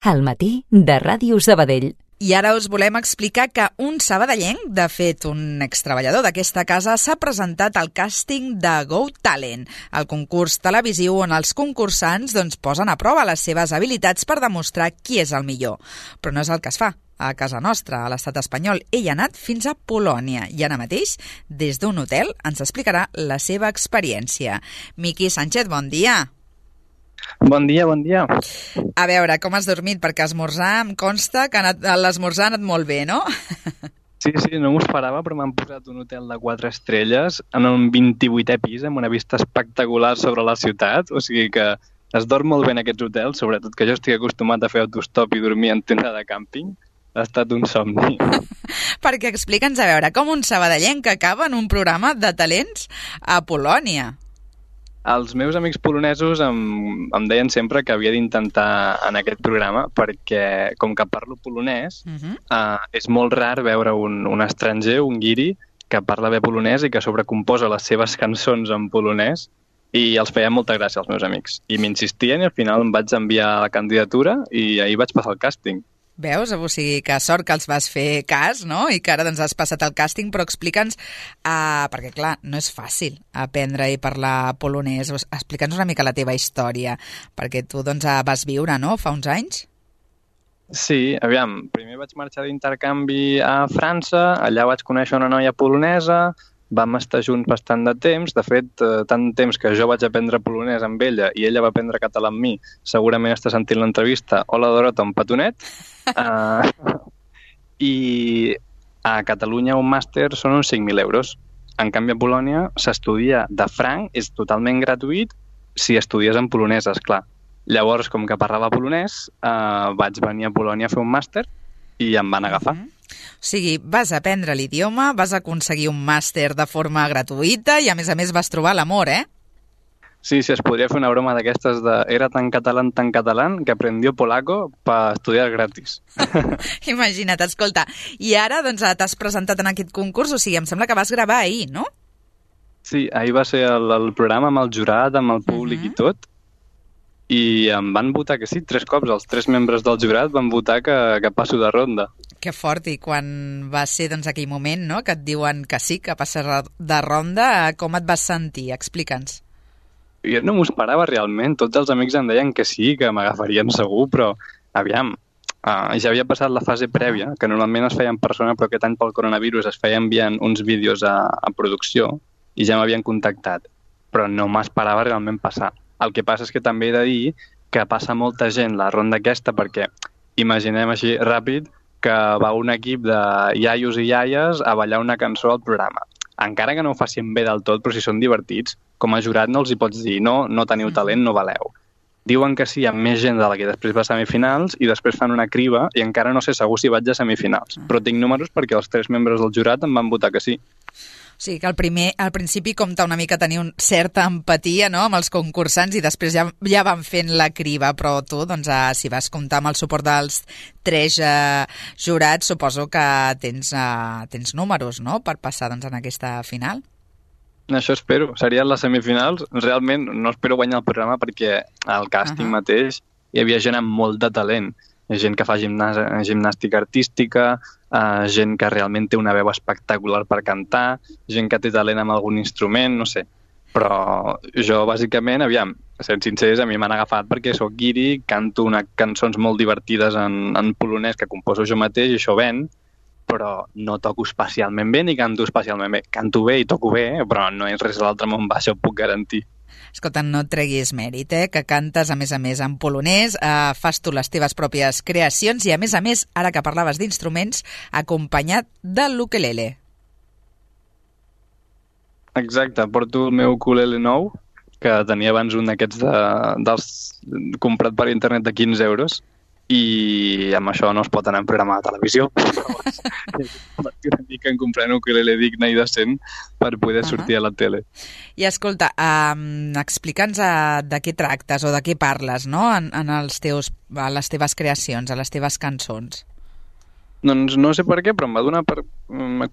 Al matí de Ràdio Sabadell. I ara us volem explicar que un sabadellenc, de fet un extreballador d'aquesta casa, s'ha presentat al càsting de Got Talent, el concurs televisiu on els concursants posen a prova les seves habilitats per demostrar qui és el millor. Però no és el que es fa a casa nostra, a l'estat espanyol. Ell ha anat fins a Polònia i ara mateix, des d'un hotel, ens explicarà la seva experiència. Miqui Sánchez, bon dia. Bon dia, bon dia. A veure, com has dormit? Perquè esmorzar em consta que l'esmorzar ha anat molt bé, no? Sí, no m'ho esperava, però m'han posat un hotel de 4 estrelles en un 28è pis amb una vista espectacular sobre la ciutat, o sigui que es dorm molt bé en aquests hotels, sobretot que jo estic acostumat a fer autostop i dormir en tenda de càmping. Ha estat un somni. Perquè explica'ns, a veure, com un sabadellenc que acaba en un programa de talents a Polònia. Els meus amics polonesos em deien sempre que havia d'intentar en aquest programa perquè, com que parlo polonès, és molt rar veure un estranger, un guiri, que parla bé polonès i que sobrecomposa les seves cançons en polonès, i els feia molta gràcia als meus amics. I m'insistien i al final em vaig enviar la candidatura i ahir vaig passar el càsting. Veus? O sigui, que sort que els vas fer cas, no? I que ara has passat el càsting, però explica'ns, perquè clar, no és fàcil aprendre i parlar polonès. Explica'ns una mica la teva història, perquè tu vas viure, no?, fa uns anys? Sí, aviam, primer vaig marxar d'intercanvi a França, allà vaig conèixer una noia polonesa, vam estar junts bastant de temps, de fet, tant temps que jo vaig aprendre polonès amb ella i ella va aprendre català amb mi, segurament està sentint l'entrevista. Hola, Dorota, un petonet. I a Catalunya un màster són uns 5.000 euros. En canvi, a Polònia s'estudia de franc, és totalment gratuït si estudies en polonès, esclar. Llavors, com que parlava polonès, vaig venir a Polònia a fer un màster i em van agafar. O sigui, vas aprendre l'idioma, vas aconseguir un màster de forma gratuïta i a més vas trobar l'amor, eh? Sí, es podria fer una broma d'aquestes de era tan català que aprendió polaco per estudiar gratis. Imagina't, escolta. I ara t'has presentat en aquest concurs, o sigui, em sembla que vas gravar ahir, no? Sí, ahir va ser el programa amb el jurat, amb el públic i tot, i em van votar que sí, 3 cops. Els 3 membres del jurat van votar que passo de ronda. Que fort, i quan va ser aquell moment, no?, que et diuen que sí, que passes de ronda, com et vas sentir? Explica'ns. Jo no m'ho esperava realment, tots els amics em deien que sí, que m'agafarien segur, però aviam, ja havia passat la fase prèvia, que normalment es feia en persona, però aquest any pel coronavirus es feia enviant uns vídeos a producció i ja m'havien contactat, però no m'esperava realment passar. El que passa és que també he de dir que passa molta gent la ronda aquesta perquè imaginem així ràpid que va un equip de iaios i iaies a ballar una cançó al programa. Encara que no ho facin bé del tot, però si són divertits, com a jurat no els hi pots dir no teniu talent, no valeu. Diuen que sí, hi ha més gent de la que després va a semifinals i després fan una criba i encara no sé segur si vaig a semifinals. Però tinc números perquè els 3 membres del jurat em van votar que sí. O sigui que al principi compta una mica tenir una certa empatia, no?, amb els concursants i després ja van fent la criba, però tu, si vas comptar amb el suport dels 3 jurats, suposo que tens números, no?, per passar en aquesta final. Això espero. Serien les semifinals. Realment no espero guanyar el programa perquè al càsting mateix hi havia gent amb molt de talent. Hi ha gent que fa gimnàstica artística, gent que realment té una veu espectacular per cantar, gent que té talent amb algun instrument, no sé. Però jo, bàsicament, aviam, sent sincers, a mi m'han agafat perquè sóc guiri, canto cançons molt divertides en polonès que composo jo mateix i això ven, però no toco especialment bé ni canto especialment bé. Canto bé i toco bé, però no és res de l'altre món, això ho puc garantir. Escolta, no et treguis mèrit, que cantes, a més en polonès, fas tu les teves pròpies creacions i, a més, ara que parlaves d'instruments, acompanyat de l'ukelele. Exacte, porto el meu ukulele nou, que tenia abans un d'aquests comprat per internet de 15 euros, i amb això no es pot anar en programa de televisió. Una mica en comprar un ukulele digne i decent per poder sortir a la tele. I escolta, explica'ns de què tractes o de què parles, no?, a les teves creacions, a les teves cançons. Doncs no sé per què, però em va donar per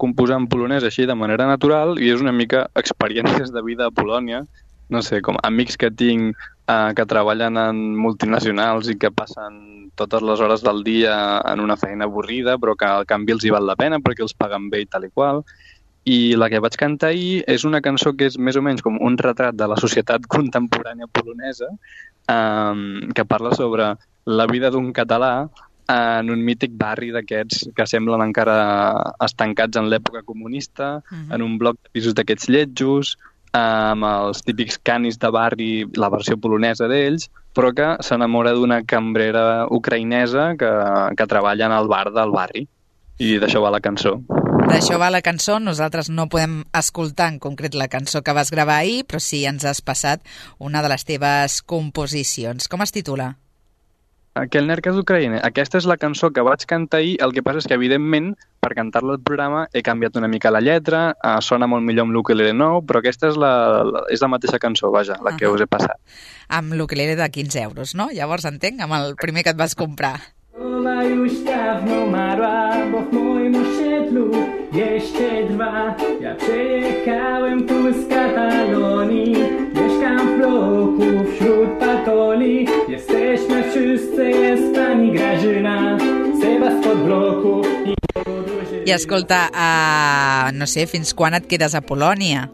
composar en polonès així de manera natural i és una mica experiències de vida a Polònia, no sé, com amics que tinc que treballen en multinacionals i que passen totes les hores del dia en una feina avorrida, però que al canvi els hi val la pena perquè els paguen bé i tal i qual. I la que vaig cantar ahir és una cançó que és més o menys com un retrat de la societat contemporània polonesa, que parla sobre la vida d'un català en un mític barri d'aquests que semblen encara estancats en l'època comunista, en un bloc de pisos d'aquests lletjos, amb els típics canis de barri, la versió polonesa d'ells, però que s'enamora d'una cambrera ucraïnesa que treballa en el bar del barri. I d'això va la cançó. D'això va la cançó. Nosaltres no podem escoltar en concret la cançó que vas gravar ahir, però sí ens has passat una de les teves composicions. Com es titula? Kelnerka d'Ucraïna. Aquesta és la cançó que vaig cantar ahir. El que passa és que, evidentment, per cantar-la al programa he canviat una mica la lletra, sona molt millor amb l'ukelele nou, però aquesta és la mateixa cançó, vaja, la que us he passat. Amb l'ukelele de 15 euros, no? Llavors entenc, amb el primer que et vas comprar. Już dawno umarła, bo w moim osiedlu jeszcze trwa. Ja przyjechałem tu z Katalonii, mieszkam w bloku wśród patoli. Jesteśmy wszyscy, jest pani Grażyna, Seba spod bloku i podróży. I escolta, no sé, fins quan et quedes a Polònia?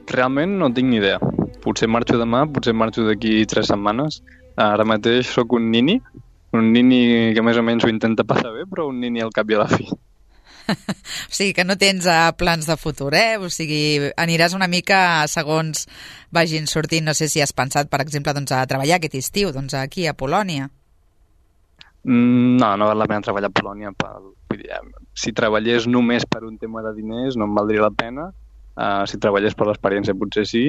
Realment no tinc ni idea. Potser marxo demà, potser marxo d'aquí 3 setmanes. Ara mateix sóc un nini que més o menys ho intenta passar bé, però un nini al cap i a la fi. O sigui, que no tens plans de futur, eh? O sigui, aniràs una mica segons vagin sortint. No sé si has pensat, per exemple, doncs, a treballar aquest estiu, doncs, aquí a Polònia. No val la pena treballar a Polònia. Vull dir, si treballés només per un tema de diners no em valdria la pena. Si treballés per l'experiència potser sí.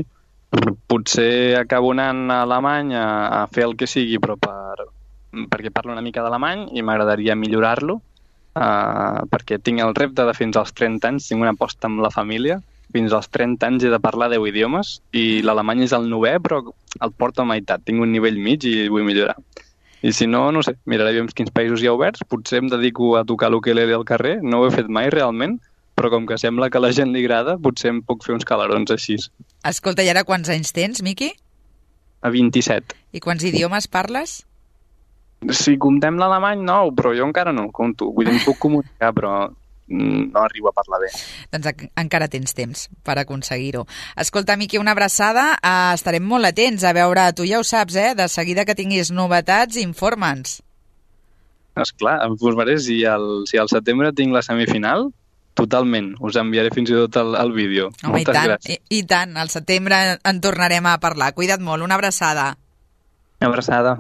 Potser acabo anant a Alemanya a fer el que sigui, però perquè parlo una mica d'alemany i m'agradaria millorar-lo, perquè tinc el repte de fins als 30 anys, tinc una aposta amb la família, fins als 30 anys he de parlar 10 idiomes i l'alemany és el 9è, però el porto a meitat, tinc un nivell mig i vull millorar. I si no, no sé, miraré quins països hi ha oberts, potser em dedico a tocar l'ukelele al carrer, no ho he fet mai realment, però com que sembla que a la gent li agrada, potser em puc fer uns calarons així. Escolta, i ara quants anys tens, Miqui? A 27. I quants idiomes parles? Si comptem l'alemany, no, però jo encara no compto. Vull dir, em puc comunicar, però no arribo a parlar bé. Doncs encara tens temps per aconseguir-ho. Escolta, Miqui, una abraçada. Estarem molt atents a veure, tu ja ho saps, de seguida que tinguis novetats, informa'ns. Esclar, em posaré, si al setembre tinc la semifinal, totalment. Us enviaré fins i tot el vídeo. Home, moltes gràcies. I tant, al setembre en tornarem a parlar. Cuida't molt, una abraçada. Una abraçada.